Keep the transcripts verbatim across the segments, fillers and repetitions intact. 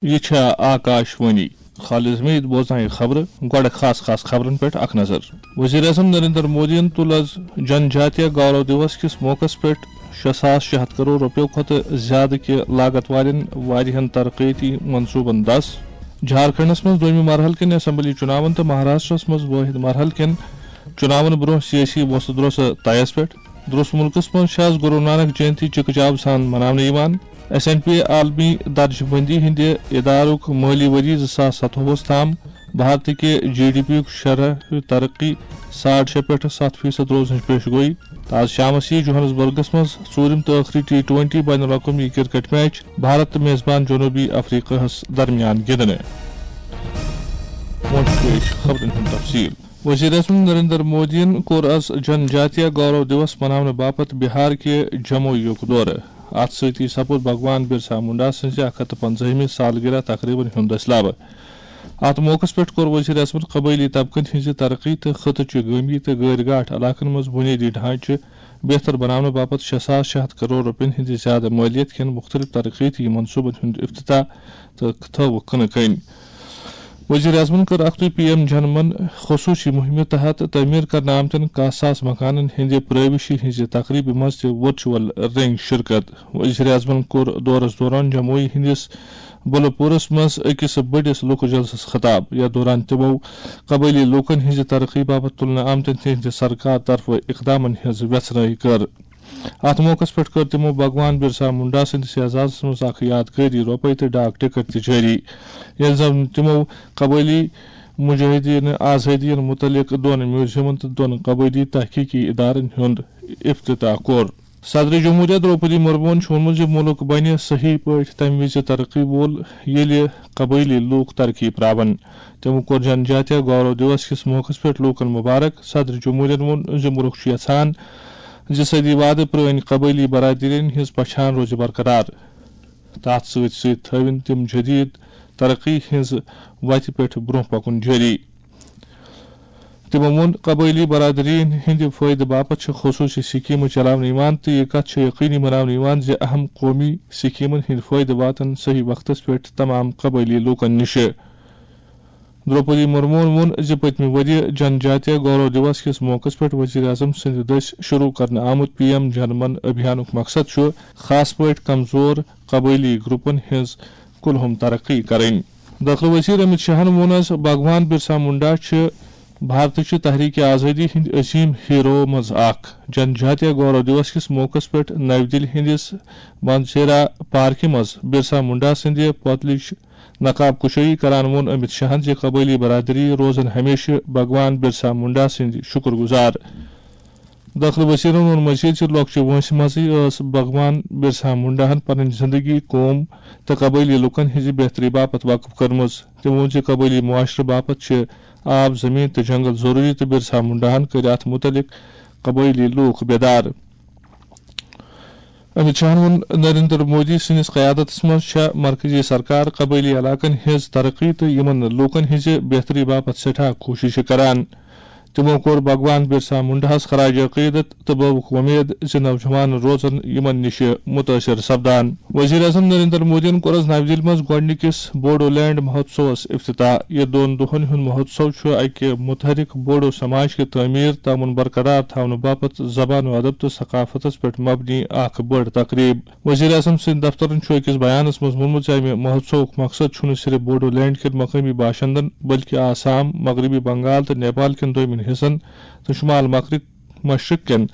یہِ چھےٚ آکاش وانی۔ خالد حمید بوزنایہِ خبرٕ۔ گۄڈٕ خاص خاص خبرن پٮ۪ٹھ اکھ نظر۔ وزیر اعظم نریندر مودیَن تُل از جن جاتیہ گورو دیوس کِس موقعس پٮ۪ٹھ شےٚ ساس شےٚ ہتھ کرور رۄپیو کھۄتہٕ زیادٕ کہِ لاگت والٮ۪ن واریاہن ترقیتی منصوبن دس۔ جھارکھنڈس منٛز دوٚیمہِ مرحلہٕ کٮ۪ن اسمبلی چُناون تہٕ مہاراشٹرس منٛز وٲحد مرحلہٕ کٮ۪ن چُناون برونٛہہ سیٲسی وۄژھٕ دروسہٕ طیس پٮ۪ٹھ۔ درست مُلکس منٛز چھِ آز گُرو نانک جینتی چِکہٕ چاو سان مناونہٕ یِوان۔ ایس این پی عالمی درجہٕ بندی ہٕنٛدِ ادارُک مٲلی ؤری زٕ ساس ستووُہس تام بھارتٕکہِ جی ڈی پی یُک شرح ترقی ساڑ شےٚ پٮ۪ٹھ ستھ فیصد روزنٕچ پیش گویی۔ تہٕ آز شامس یِیہِ جوہانسبرگس منٛز ژوٗرِم تہٕ ٲخری ٹی ٹوینٹی بین الاقوٲمی کرکٹ میچ بھارت تہٕ میزبان جنوبی افریقہس درمیان گِنٛدنہٕ۔ وۄنۍ چھُ پیش خبرن ہُنٛد تفصیل۔ وزیر اعظم نریندر مودیَن کوٚر از جن جاتیہ گورو دیوس مناونہٕ باپتھ بہار کہِ جموئی یُک دورٕ۔ اتھ سۭتی سپُد بھگوان برسا منڈا سٕنٛزِ اکھ ہتھ تہٕ پنٛژاہمہِ سالگرہ تقریبن ہُنٛد دٔسۍ لبہٕ۔ اتھ موقعس پٮ۪ٹھ کوٚر وزیر اعظمَن قبٲیلی طبقن ہٕنٛزِ ترقی تہٕ خطہٕ چہِ گٲمی تہٕ غٲرۍ گاٹھ علاقن منٛز بُنیٲدی ڈھانچہٕ بہتر بناونہٕ باپتھ شےٚ ساس شےٚ ہتھ کرور رۄپین ہٕنٛدِ زیادٕ مٲلیت کٮ۪ن مُختٔلِف ترقیتی منصوبن ہُنٛد افتتاح تہٕ تھٲوٕکھ کٕنہٕ کٔنۍ۔ وزیر اعظمَن کٔر اکھتُے پی ایم جن من خصوٗصی مُہِمہِ تحت تعمیٖر کرنہٕ آمتٮ۪ن کاہ ساس مکانن ہٕنٛدِ پرٲوِشی ہٕنٛزِ تقریبہِ منٛز تہِ ورچوئل رنگۍ شرکت۔ وزیر اعظمَن کوٚر دورس دوران جموئی ہٕنٛدِس بلہٕ پوٗرس منٛز أکِس بٔڑِس لوٗکہٕ جلسس خطاب، یتھ دوران تِمو قبٲیلی لوٗکن ہٕنٛزِ ترقی باپتھ تُلنہٕ آمتٮ۪ن تِہنٛدِ سرکار طرفہٕ اقدامن ہٕنٛز ویژھنٲہی کٔر۔ اتھ موقعس پٮ۪ٹھ کٔر تِمو بھگوان برسا منڈا سٕنٛدِس اعزازس منٛز اکھ یادگٲری رۄپے تہٕ ڈاک ٹکٹ تہِ جٲری، ییٚلہِ زن تِمو قبٲیلی مجاہدین آزٲدی متعلق دۄن میوزیمن تہٕ دۄن قبٲیلی تحقیقی ادارن ہُنٛد افتتاح کوٚر۔ صدر جمہوریہ درٛوپدی مرموہن چھُ ووٚنمُت زِ مُلک بنہِ صحیح پٲٹھۍ تَمہِ وِزِ ترقی وول، ییٚلہِ قبٲیلی لوٗکھ ترقی پراون۔ تٔمۍ کوٚر جن جاتیہ گورو دیوس کِس موقعس پٮ۪ٹھ لوٗکن مبارک۔ صدر جمہوریہن ووٚن زِ مُلک چھُ یژھان زِ صدی وادٕ پرٲنۍ قبٲیلی برادرین ہٕنٛز پہچان روزِ برقرار۔ تَتھ سۭتۍ سۭتۍ تھٲوِن تِم جدید ترقی ہٕنٛز وتہِ پٮ۪ٹھ برٛونٛہہ پکُن جٲری۔ تِمو ووٚن، قبٲیلی برادرین ہٕنٛدِ فٲیدٕ باپتھ چھِ خصوٗصی سکیمہٕ چلاونہٕ یِوان تہٕ یہِ کتھ چھِ یقینی بناونہٕ یِوان زِ اہم قومی سکیمن ہٕنٛدۍ فٲیدٕ واتن صحیح وقتس پٮ۪ٹھ تمام قبٲیلی لوٗکن نِش۔ درٛوپدی مرموہن ووٚن زِ پٔتمہِ ؤرۍ یہِ جن جاتیہ گورو دیوس کِس موقعس پٮ۪ٹھ وزیر اعظم سٕنٛدِ دٔسۍ شروٗع کرنہٕ آمُت پی ایم جن من ابھیانُک مقصد چھُ خاص پٲٹھۍ کمزور قبٲیلی گروپن ہٕنٛز کُلہُم ترقی کرٕنۍ۔ دٲخلہٕ وزیر امت شاہن ووٚن از بھگوان برسا منڈا چھِ بھارتٕچہِ تحریک آزٲدی ہٕنٛدۍ عظیم ہیرو منٛز اکھ۔ جن جاتیہ گورو دیوس کِس موقعس پٮ۪ٹھ نَوِ دِلہِ ہٕنٛدِس مانسیرا پارکہِ منٛز برسا منڈا سٕنٛدِ پۄتلٕچ نقاب کشٲیی کران ووٚن امت شاہن زِ قبٲیلی برادری روزن ہمیشہٕ بھگوان برسا منڈا سٕنٛدۍ شُکر گُزار۔ دٲخلہٕ وزیرن ووٚن مزید زِ لۄکچہِ وٲنٛسہِ منٛزٕے ٲس بھگوان برسا منڈاہن پنٕنۍ زندگی قوم تہٕ قبٲیلی لوٗکن ہٕنٛزِ بہتری باپتھ وقف کٔرمٕژ۔ تٔمۍ ووٚن زِ قبٲیلی معاشرٕ باپتھ چھِ آب، زمین تہٕ جنگل ضروری تہٕ برسا منڈاہن کٔرۍ اتھ مُتعلق قبٲیلی لوٗکھ بیدار۔ امت شاہن ووٚن، نریندر مودی سٕنٛدِس قیادتس منٛز چھےٚ مرکزی سرکار قبٲیلی علاقن ہٕنٛز ترقی تہٕ یِمن لوٗکن ہٕنٛزِ بہتری باپتھ سٮ۪ٹھاہ کوٗششہٕ کران۔ تِمو کوٚر بھگوان برسا منڈاہس خراج عقیدت تہٕ بٲوُکھ وۄمید زِ نوجوان روزن یِمن نِش مُتٲثِر سپدان۔ وزیر اعظم نریندر مودیَن کوٚر از نَوِ دِلہِ منٛز گۄڈٕنِکِس بوڈو لینڈ مہوتسوَس افتتاح۔ یہِ دۄن دۄہَن ہُنٛد مہوتسو چھُ اَکہِ متحرک بوڈو سماج کہِ تعمیٖر تہٕ امن برقرار تھاونہٕ باپتھ زبان و ادب تہٕ ثقافتَس پٮ۪ٹھ مبنی اکھ بٔڑ تقریب۔ وزیر اعظم سٕنٛدِ دفترَن چھُ أکِس بیانَس منٛز ووٚنمُت زِ اَمہِ مہوتسوُک مقصد چھُنہٕ صرف بوڈو لینڈ کٮ۪ن مقٲمی باشندَن، بلکہِ آسام، مغربی بنگال تہٕ نیپال کٮ۪ن دوٚیمٮ۪ن حصن تہٕ شمال مغرب مشرق کٮ۪ن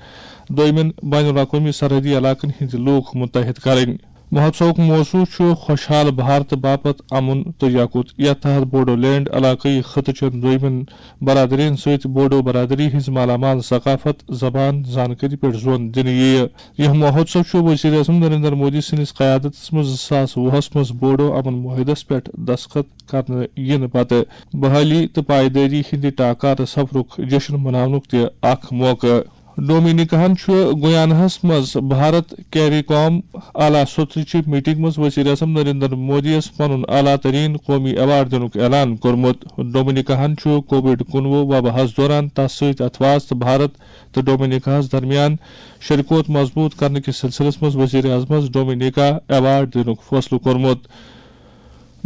دوٚیمٮ۪ن بین الاقوٲمی سرحدی علاقن ہٕنٛدۍ لوٗکھ متحد کرٕنۍ۔ مہوتسوُک موضوع چھُ خوشحال بھارت باپتھ امن تہٕ یکوت، یتھ تحت بوڈو لینڈ علاقٲیی خطہٕ چٮ۪ن دوٚیمٮ۪ن برادرین سۭتۍ بوڈو برادری ہٕنٛز مالا مال ثقافت، زبان، زانکٲری پٮ۪ٹھ زون دِنہٕ یِیہِ۔ یہِ مہوتسو چھُ وزیر اعظم نریندر مودی سٕنٛدِس قیادتس منٛز زٕ ساس وُہس منٛز بوڈو امن معاہدس پٮ۪ٹھ دستخط کرنہٕ یِنہٕ پتہٕ بحالی تہٕ پائیدٲری ہٕنٛدِ ٹاکارٕ سفرُک جشن مناونُک تہِ اکھ موقعہٕ۔ ڈومینیکاہن چھُ گیاناہس منٛز بھارت کیری کام اعلیٰ سطحٕچہِ میٹنگ منٛز وزیر اعظم نریندر مودی یَس پنُن اعلیٰ ترین قومی ایوارڈ دِنُک اعلان کوٚرمُت۔ ڈومینیکاہن چھُ کووڈ کُنوُہ وباہَس دوران تس سۭتۍ اتھواز تہٕ بھارت تہٕ ڈومینیکاہَس درمیان شراکت مضبوط کرنہٕ کِس سلسلس منٛز وزیر اعظمس ڈومینیکا ایوارڈ دِنُک فٲصلہٕ کوٚرمُت۔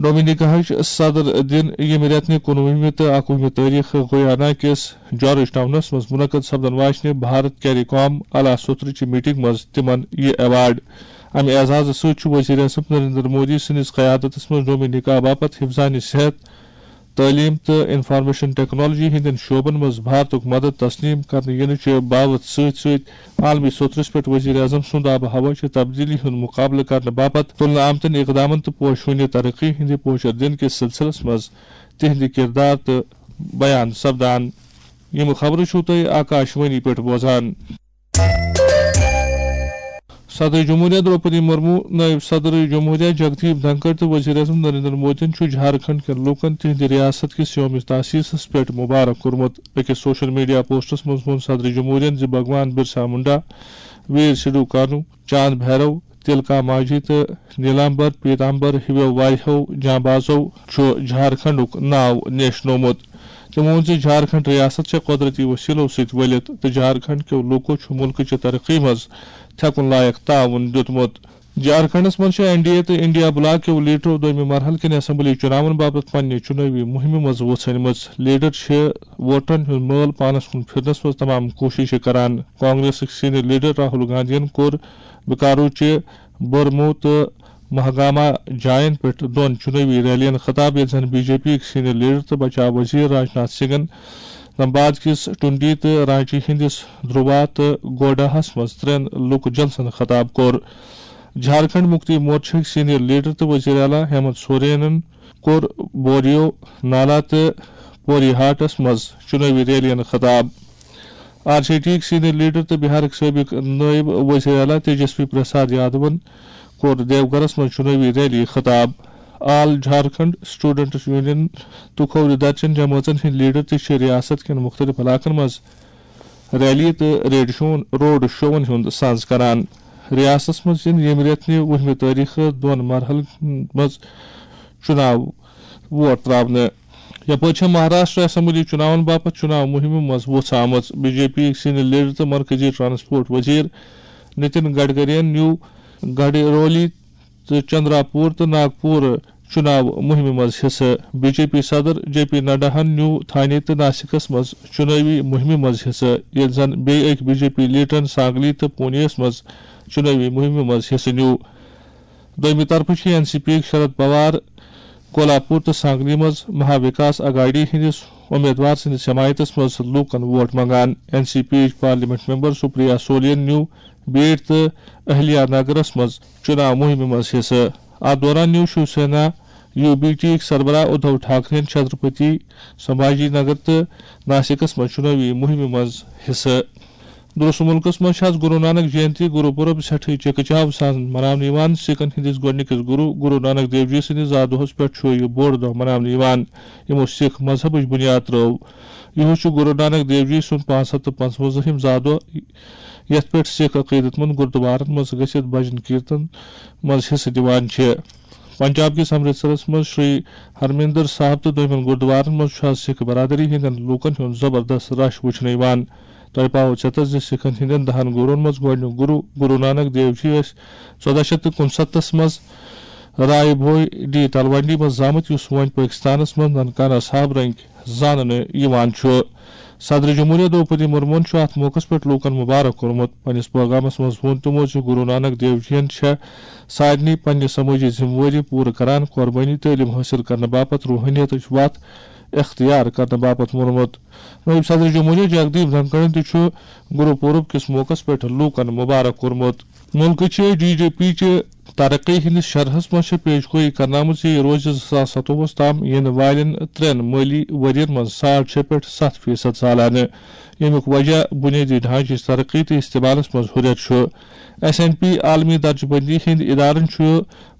ڈومینیکاہٕچ صدر دِن ییٚمہِ رٮ۪تہٕ نہِ کُنوُہمہِ تہٕ اَکوُہمہِ تٲریخہٕ گویانا کِس جارج ٹاؤنس منٛز منعقد سپدن واجنہِ بھارت کیری کام اعلیٰ سوترٕچہِ میٹنگ منٛز تِمن یہِ ایوارڈ۔ امہِ اعزازٕ سۭتۍ چھُ وزیر اعظم نریندر مودی سٕنٛدِس قیادتس منٛز ڈومینیکا باپتھ حفظانِ صحت، تعلیم تہٕ انفارمیشن ٹیکنالوجی ہٕنٛدٮ۪ن شعبن منٛز بھارتُک مدد تسلیم کرنہٕ یِنہٕ چہِ باوتھ سۭتۍ سۭتۍ عالمی سطحس پٮ۪ٹھ وزیر اعظم سُنٛد آب و ہوا چہِ تبدیلی ہُنٛد مقابلہٕ کرنہٕ باپتھ تُلنہٕ آمتٮ۪ن اقدامن تہٕ پوشوٕنہِ ترقی ہٕنٛدِ پوچر دِنہٕ کِس سلسلس منٛز تِہنٛدِ کردار تہٕ بیان سپدان۔ یِم خبرٕ چھِو تُہۍ آکاشوانی پٮ۪ٹھ بوزان۔ صدر جمہوریہ درٛوپدی مرمو، نٲیِب صدر جمہوریہ جگدیپ دھنکڑ تہٕ وزیر اعظم نریندر مودیَن چھُ جھارکھنڈ کٮ۪ن لوٗکَن تِہنٛدِ ریاست کِس یوم تاسیسَس پٮ۪ٹھ مبارک کوٚرمُت۔ أکِس سوشل میڈیا پوسٹَس منٛز ووٚن صدر جمہوریہَن زِ بھگوان برسا منڈا، ویر سدھو کانو، چاند بھیرو، تلکا ماجھی تہٕ نیلامبر پیتامبر ہِویو واریاہو جانبازو چھُ جھارکھنڈُک ناو نیشنومُت۔ تٔمۍ ووٚن زِ جھارکھنڈ ریاست چھےٚ قۄدرتی وسیلو سۭتۍ ؤلِتھ تہٕ جھارکھنڈ کیو لوٗکو چھُ مُلکہٕ چہِ ترقی منٛز تھٮ۪کُن لایق تعاوُن دیُتمُت۔ جھارکھنڈس منٛز چھِ این ڈی اے تہٕ انڈیا بلاک کیو لیڈرو دوٚیمہِ مرحلہٕ کِنۍ اسمبلی چُناون باپتھ پننہِ چُنٲوی مُہِمہِ منٛز وُژھنمٕژ۔ لیڈر چھِ ووٹرن ہُنٛد مٲل پانس کُن پھِرنس منٛز تمام کوٗششہٕ کران۔ کانگریسٕکۍ سینئر لیڈر راہل گاندھین کوٚر بکارو چہِ برمو تہٕ مہگاما جاین پٮ۪ٹھ دۄن چُنٲوی ریلین خطاب، ییٚتہِ زن بی جے پی یِکۍ سینئر لیڈر تہٕ بچاو وزیر راجناتھ سنگھن دھنباد کِس ٹُنڈی تہٕ رانچی ہٕنٛدِس دھروا تہٕ گوڈاہس منٛز ترٛٮ۪ن لُکہٕ جلسن خطاب کوٚر۔ جھارکھنڈ مُکتی مورچہٕکۍ سینئر لیڈر تہٕ وزیر اعلیٰ ہیمنت سورینن کوٚر بوریو نالا تہٕ پوریہاٹس منٛز چُنٲوی ریلین خطاب۔ آر جے ڈی یِکۍ سینئر لیڈر تہٕ بہارٕکۍ سٲبق نٲیِب وزیر اعلیٰ تیجسوی پرساد یادوَن کوٚر دیوگرس منٛز چُنٲوی ریلی خطاب۔ آل جھارکھنڈ اسٹوڈنٹس یونین تہٕ کھوورِ درچن جمٲژن ہٕنٛدۍ لیڈر تہِ چھِ ریاست کٮ۪ن مُختٔلِف علاقن منٛز ریلی تہٕ ریڈ شون، روڈ شوون ہُنٛد ساز کران۔ ریاستس منٛز یِن ییٚمہِ رٮ۪تہٕ نہِ وُہمہِ تٲریخہٕ دۄن مرحلن منٛز چُناو ووٹ تراونہٕ۔ یپٲرۍ چھےٚ مہاراشٹر اسمبلی چُناون باپتھ چُناو مُہِمہِ منٛز وۄژھ آمٕژ۔ بی جے پی یِکۍ سینئر لیڈر تہٕ مرکزی ٹرانسپورٹ وزیر نتن گڈکرین نیوٗ گڈرولی تہٕ چندراپور تہٕ ناگپور چُناو مُہِمہِ منٛز حصہٕ۔ بی جے پی صدر جے پی نڈاہن نیوٗ تھانے تہٕ ناسکس منٛز چُنٲوی مُہِمہِ منٛز حصہٕ، ییٚلہِ زن بیٚیہِ أکۍ بی جے پی لیڈرن سانگلی تہٕ پونیَس منٛز چُنٲوی مُہِمہِ منٛز حصہٕ نیوٗ۔ دوٚیمہِ طرفہٕ چھِ این سی پی یِکۍ شرد پوار کولہاپور تہٕ سانگلی منٛز مہا وِکاس اگاڈی ہٕنٛدِس اُمیدوار سٕنٛدِس حمایتس منٛز لوٗکن ووٹ منٛگان۔ این سی پی یِچ پارلیمنٹ ممبر سپریا سولین نیوٗ بیٹ تہٕ اہلیا نگرس منٛز چُناو مُہِمہِ منٛز حصہٕ۔ اتھ دوران نیوٗ Shiv Sena U B T یِکۍ سربراہ ادھو ٹھاکرین چھترپتی سمبھاجی نگر تہٕ ناسکس منٛز چُنٲوی مُہِمہِ منٛز حصہٕ۔ درست مُلکس منٛز چھِ آز گُروٗ نانک جینتی، گُروٗ پُرب سٮ۪ٹھٕے چکہٕ چاو سان مناونہٕ یِوان۔ سِکن ہٕنٛدِس گۄڈٕنِکِس گُروٗ، گُروٗ نانک دیو جی سٕنٛدِس زا دۄہس پٮ۪ٹھ چھُ یہِ بوٚڑ دۄہ مناونہٕ یِوان، یِمو سِکھ مذہبٕچ بُنیاد ترٲو۔ یِہُس چھُ گُروٗ نانک دیو جی سُنٛد پانٛژھ ہَتھ تہٕ پنٛژوَنزاہِم زا دۄہ، یَتھ پٮ۪ٹھ سِکھ عقیٖدت مند گُردوارن منٛز گٔژھِتھ بجن کیرتن منٛز حصہٕ دِوان چھِ۔ پنجاب کِس امرتسرس منٛز شری ہرمندر صاحب تہٕ دوٚیمٮ۪ن گُردوارن منٛز چھُ آز سِکھ برادری ہٕنٛدٮ۪ن لوٗکن ہُنٛد زبردست رش وُچھنہٕ یِوان۔ تۄہہِ پاوو ژٮ۪تس زِ سِکھن ہٕنٛدٮ۪ن دَہن گُروٗن منٛز گۄڈٕنیُک گُروٗ، گُروٗ نانک دیو جی ٲسۍ ژۄداہ شیٚتھ تہٕ کُنسَتتھس منٛز رائے بھوئی ڈی تلونڈی منٛز زامٕتۍ، یُس وۄنۍ پٲکِستانس منٛز ننکانہ صاحب رنگۍ زاننہٕ یِوان چھُ۔ صدر جمہوریہ درٛوپدی مرموہن چھُ اَتھ موقعس پٮ۪ٹھ لوٗکن مُبارک کوٚرمُت۔ پننِس پٲغامس منٛز ووٚن تِمو زِ گُروٗ نانک دیو جین چھےٚ سارنٕے پننہِ سمٲجی ذمہٕ وٲری پوٗرٕ کران، قۄربٲنی تعلیٖم حٲصِل کرنہٕ باپتھ روحٲنیتٕچ وَتھ اختیار کرنہٕ باپتھ ووٚنمُت۔ نٲیِب صدر جمہوریہ جگدیپ دھنکڑَن تہِ چھُ گُروٗ پوٗرب کِس موقعس پٮ۪ٹھ لوٗکن مُبارک کوٚرمُت۔ مُلکہٕ چہِ جی ڈی پی چہِ ترقی ہٕنٛدِس شرحس منٛز چھےٚ پیش گویی کرنہٕ آمٕژ زِ یہِ روزِ زٕ ساس ستووُہس تام یِنہٕ والٮ۪ن ترٛٮ۪ن مٲلی ؤرین منٛز ساڑ شےٚ پٮ۪ٹھ ستھ فیصد سالانہٕ، ییٚمیُک وجہ بُنیٲدی ڈھانچٕچ ترقی تہٕ استعمالس منٛز ہُرٮ۪ر چھُ۔ ایس این پی عالمی درجہٕ بندی ہٕنٛدۍ ادارن چھُ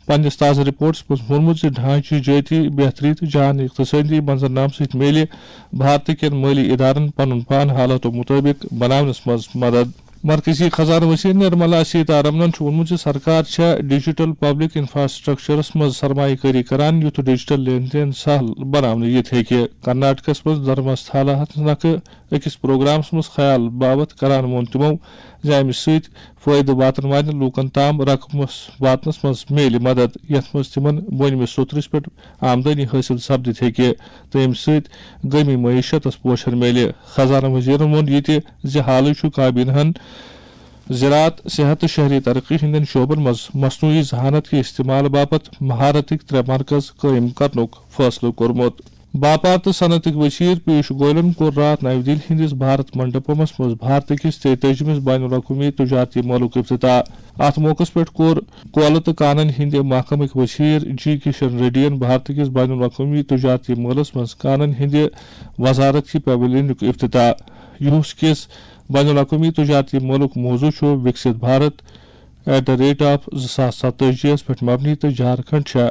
پننِس تازٕ رپورٹس منٛز ووٚنمُت زِ ڈھانچہٕ جٲتی بہتری تہٕ جان اقتصٲدی منظرنامہٕ سۭتۍ میلہِ بھارتہٕ کٮ۪ن مٲلی ادارن پنُن پان حالاتو مُطٲبِق بناونس منٛز مدد۔ مرکزی خزانہٕ وزیر نرملا سیتارمنن چھُ ووٚنمُت زِ سرکار چھےٚ ڈیجیٹل پبلک انفراسٹرکچرس منٛز سرمایہ کٲری کران، یُتھ ڈیجیٹل لین دین سہل بناونہٕ یِتھ ہیٚکہِ۔ کرناٹکس منٛز دھرمستھالا نکھٕ أکِس پروگرامس منٛز خیال باوتھ کران ووٚن تِمو زِ امہِ سۭتۍ فٲیدٕ واتن والٮ۪ن لوٗکن تام رقمس واتنس منٛز میلہِ مدد، یتھ منٛز تِمن بۄنمِس سوٚترِس پٮ۪ٹھ آمدنی حٲصِل سپدِتھ ہیٚکہِ، تہٕ امہِ سۭتۍ گٲمی معیشتس پوشن میلہِ۔ خزانہٕ وزیرن ووٚن یہِ تہِ زِ حالٕے چھُ کابینہن زراعت، صحت تہٕ شہری ترقی ہٕنٛدٮ۪ن شعبن منٛز مصنوعی ذہانت کہِ استعمال باپتھ مہارتٕکۍ ترٛےٚ مرکز قٲیِم کرنُک فٲصلہٕ کوٚرمُت۔ باپار تہٕ صنعتٕکۍ وزیر پیوش گوئلن کوٚر راتھ نَوِ دِلہِ ہٕنٛدِس بھارت منڈپمس منٛز بھارتہٕ کِس تیتٲجِمِس بین الاقوٲمی تجارتی مٲلُک افتتاح۔ اتھ موقعس پٮ۪ٹھ کوٚر کولہٕ تہٕ کانن ہٕنٛدِ محکمٕکۍ وزیر جی کشن ریڈیَن بھارتہٕ کِس بین الاقوٲمی تجارتی مٲلس منٛز کانن ہٕنٛدِ وزارت کہِ پویلینُک افتتاح۔ یُہُس کِس بین الاقوٲمی تجارتی مٲلُک موضوع چھُ Viksit Bharat at the rate of زٕ ساس ستٲجی یَس پٮ۪ٹھ مبنی تہٕ جھارکھنڈ چھےٚ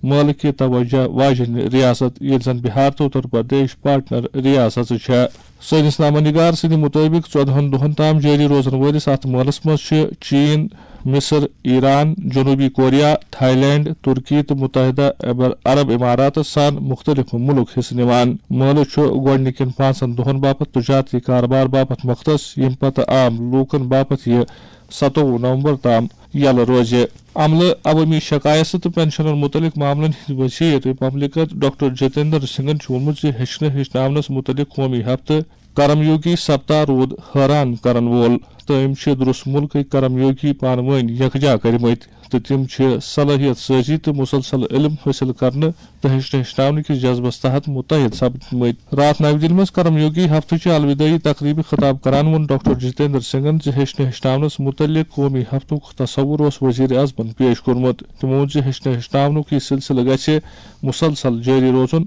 مٲلہٕ کہِ توجہ واجیٚنۍ ریاست، ییٚلہِ زن بہار تہٕ اتر پردیش پارٹنر ریاستہٕ چھےٚ۔ سٲنِس نامہ نگار سٕنٛدِ مُطٲبِق، ژۄدہَن دۄہَن تام جٲری روزن وٲلِس اَتھ مٲلَس منٛز چھِ چین، مصر، ایران، جنوبی کوریا، تھائی لینڈ، ترکی تہٕ متحدہ عبر-، عرب اماراتَس سان مُختٔلِف مُلک حصہٕ نِوان۔ مٲلہٕ چھُ گۄڈٕنِکٮ۪ن پانٛژن دۄہَن باپتھ تجارتی کارٕبار باپتھ مختص، ییٚمہِ پتہٕ عام لوٗکَن باپتھ یہِ ستووُہ نومبر تام یَلہٕ روزِ۔ عملہٕ عوٲمی شکایتہٕ تہٕ پنشنن مُتعلق معاملن ہٕنٛدۍ وزیر مملکت ڈاکٹر جتیندر سنگھن چھُ ووٚنمُت زِ ہیٚچھنہٕ ہیٚچھناونس مُتعلق قومی ہفتہٕ کرم یوگی سپتاہ روٗد حٲران کرن وول، تہٕ أمۍ چھِ درُس مُلکٕکۍ کرم یوگی پانہٕ وٲنۍ یکجا کٔرمٕتۍ، تہٕ تِم چھِ صلٲحیت سٲزی تہٕ مسلسل علم حٲصِل کرنہٕ تہٕ ہیٚچھنہٕ ہیٚچھناونہٕ کِس جذبس تحت متحد سپدمٕتۍ۔ راتھ نَوِ دِلہِ منٛز کرم یوگی ہفتہٕ چہِ الودٲعی تقریبہِ خطاب کران ووٚن ڈاکٹر جتیندر سنگھن زِ ہیٚچھنہٕ ہیٚچھناونس مُتعلق قومی ہفتُک تصور اوس وزیر اعظمن پیش کوٚرمُت۔ تِمو ووٚن زِ ہیٚچھنہٕ ہیٚچھناونُک یہِ سلسلہٕ گژھِ مسلسل جٲری روزُن۔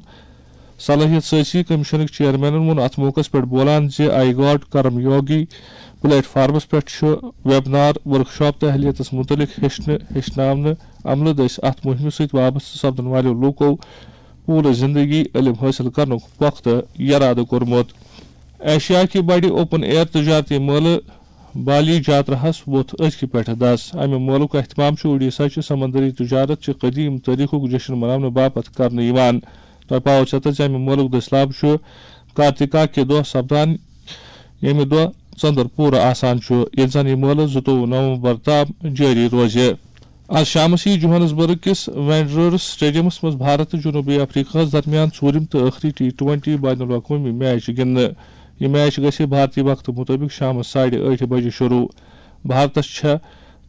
صلٲحیت سٲزی کمیشنٕکۍ چیئرمینن ووٚن اتھ موقعس پٮ۪ٹھ بولان زِ آئی گاڈ کرم یوگی پلیٹ فارمس پٮ۪ٹھ چھُ ویبنار، ورکشاپ تہٕ اہلیتس مُتعلق ہیٚچھنہٕ ہیٚچھناونہٕ عملہٕ دٔسۍ اتھ مُہِمہِ سۭتۍ وابستہٕ سپدن والٮ۪و لوٗکو پوٗرٕ زندگی علم حٲصِل کرنُک پۄختہٕ یرادٕ کوٚرمُت۔ ایشیا کہِ بڑِ اوپن ایئر تجارتی مٲلہٕ بالی جاتراہَس ووٚتھ أزکہِ پٮ۪ٹھٕ دَس۔ اَمہِ مٲلُک اہتمام چھُ اُڈیشہ چہِ سمندری تجارت چہِ قدیم تٲریخُک جشن مناونہٕ باپتھ کرنہٕ یِوان۔ تۄہہِ پاوو ژیتر زِ اَمہِ مٲلُک دٔسۍ لاب چھُ کارتِکا کہِ دۄہ سپدان، ییٚمہِ دۄہ ژٔنٛدٕر پوٗرٕ آسان چھُ، ییٚلہِ زن یہِ مٲلہٕ زٕتووُہ نومبر تام جٲری روزِ۔ آز شامس ییہِ جوہانسبرگ کِس وینڈررز سٹیڈیمس منٛز بھارت تہٕ جنوبی افریقہس درمیان ژوٗرِم تہٕ ٲخری ٹی ٹوینٹی بین الاقوٲمی میچ گِنٛدنہٕ۔ یہِ میچ گژھِ بھارتی وقتہٕ مُطٲبِق شامس ساڑِ ٲٹھِ بجہِ شروع۔ بھارتس چھےٚ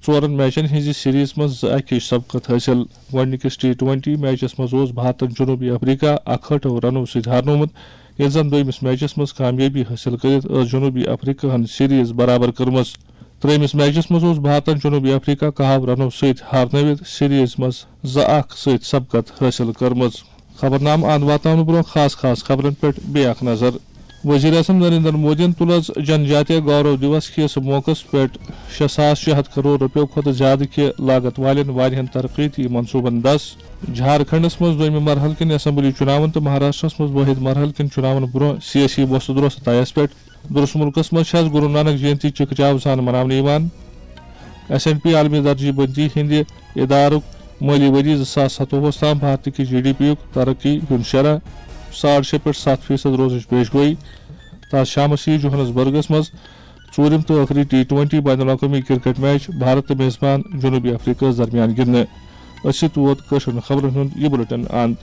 ژورن میچن ہٕنٛزِ سیریز منٛز زٕ اکِچ سبقت حٲصِل۔ گۄڈٕنِکِس ٹی ٹوینٹی میچس منٛز اوس بھارتن جنوبی افریقہ اکہٲٹھو رنو سۭتۍ ہارنومُت، ییٚلہِ زن دوٚیمِس میچس منٛز کامیٲبی حٲصِل کٔرِتھ ٲس جنوبی افریقہن سیریز برابر کٔرمٕژ۔ ترٛیٚیمِس میچس منٛز اوس بھارتن جنوبی افریقہ کاہو رنو سۭتۍ ہارنٲوِتھ سیریز منٛز زٕ اکھ سۭتۍ سبقت حٲصِل کٔرمٕژ۔ خبرنامہٕ اند واتناونہٕ برونٛہہ خاص خاص خبرن پٮ۪ٹھ بیٚیہِ اکھ نظر۔ وزیر اعظم نریندر مودیَن تُل آز جن جاتیہ گورو دیوس کِس موقعس پٮ۪ٹھ شےٚ ساس شےٚ ہتھ کرور رۄپیو کھۄتہٕ زیادٕ کہِ لاگت والٮ۪ن واریاہن ترقیتی منصوبن دس۔ جھارکھنڈس منٛز دوٚیمہِ مرحلہٕ کِن اسمبلی چُناون تہٕ مہاراشٹرس منٛز وٲحد مرحلہٕ کِن چُناون برونٛہہ سیٲسی وۄستہٕ دروستہٕ طیس پٮ۪ٹھ۔ درس مُلکس منٛز چھِ آز گُرو نانک جینتی چکھ چاو سان مناونہٕ یِوان۔ ایس اینڈ پی عالمی درجہ بندی ہٕنٛدِ ادارُک مٲلی ؤری زٕ ساس ستووُہس تام بھارتہٕ کہِ جی ڈی پی یُک ترقی ہُنٛد شرح ساڑ شےٚ پٮ۪ٹھ ستھ فیصد روزنٕچ پیش گویی۔ تاز شامس یِیہِ جوہانسبرگس منٛز ژوٗرِم تہٕ ٲخری ٹی ٹوینٹی بین الاقوٲمی کرکٹ میچ بھارت تہٕ میزبان جنوبی افریقہس درمیان گِنٛدنہٕ۔ أسۍ چھِ تُہُنٛد کٲشرٮ۪ن خبرن ہُنٛد یہِ بُلٹن اند۔